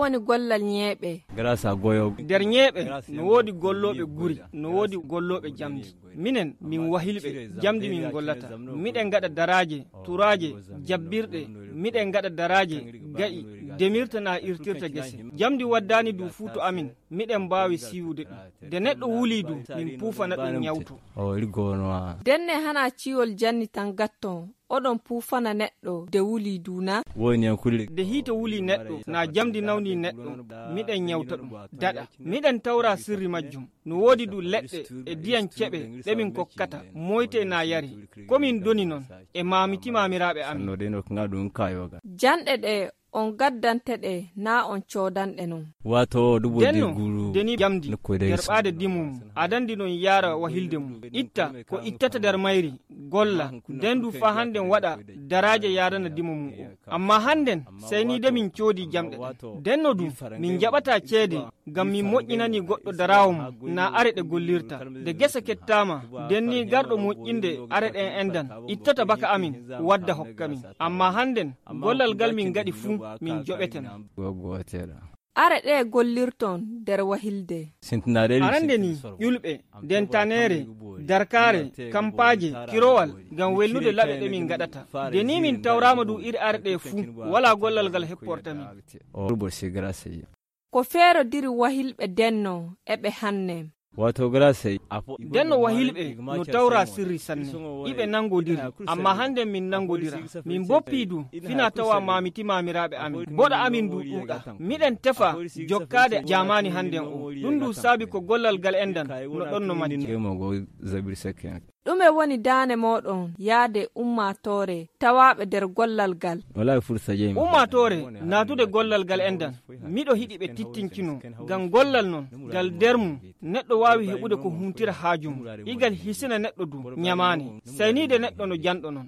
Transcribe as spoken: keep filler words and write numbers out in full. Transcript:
woni gollal ñeeɓe? grâce à goyo der ñeeɓe no woodi gollooɓe guri, no woodi gollooɓe jamdi. Minen min wahilɓe jamdi min gollata. Miɗen gaɗa daraaje, turaaje, jabbirɗe, miɗen gaɗa daraaje ga'i demirta na irtirta gese. Jamdi waddani du fuu to amin, miɗen mbaawi siiwude ɗum. De neɗɗo wulii du min puufana ɗum nyawto. Denne hana ciwol janni tan gatton oɗon puufana neɗɗo de wulii duna? De hiite wulii neɗɗo na jamdi nawni neɗɗo miɗen nyawta ɗum daɗa. Miɗen tawra sirri majjum. No woodi du leɗɗe e diyan keɓe ɗe min kokkata moyte na yari. Komin doni non e maamiti maamiraaɓe amin. Janɗe ɗe on gaddante ɗe na on coodanɗe non. Wato dubo denno deni jamdi derɓaade dimum adandi non yaara wahilde mum itta ko ittata der mayri golla dendu fa handen waɗa daraaje yaadana dimum o. Amma handen seyniide min coodi jamɗe denno dum min jaɓata ceede ngam min moƴƴinani goɗɗo daraawo mum na are ɗe gollirta. De gesa kettama denni garɗo moƴƴinde are ɗen endan ittata baka amin wadda hokka min. Amma handen gollal gal min gaɗi fuu min joɓeten. Are ɗe gollirton der wahilde. Arande ni ƴulɓe, dentanere, darkare, kampaje, kirowal ngam welnude laɓe ɗe min gaɗata. De ni min tawrama du iri are ɗe fuu wala gollal gal hepporta min. Ko feero diri wahilɓe denno eɓe hanne. Wato grâce denno wahilɓe no tawra sirri sanne iɓe nangodiri amma hande min nangodira min boppidu fina tawa mamiti mamiraɓe amin boɗa amin du ɗuuɗa miɗen tefa jokkade jamani handen o ɗum du saabi ko gollal gal endan no ɗon no matti. ɗume woni daane moɗon yaade ummatore tawaɓe nder gollal gal? Ummatore natude gollal gal endan miɗo hiɗi ɓe tittinkino ngam gollal non gal dermum neɗɗo wawi heɓude ko huntira haajum igal hisina neɗɗo du nyamani saynide neɗɗo no janɗo non.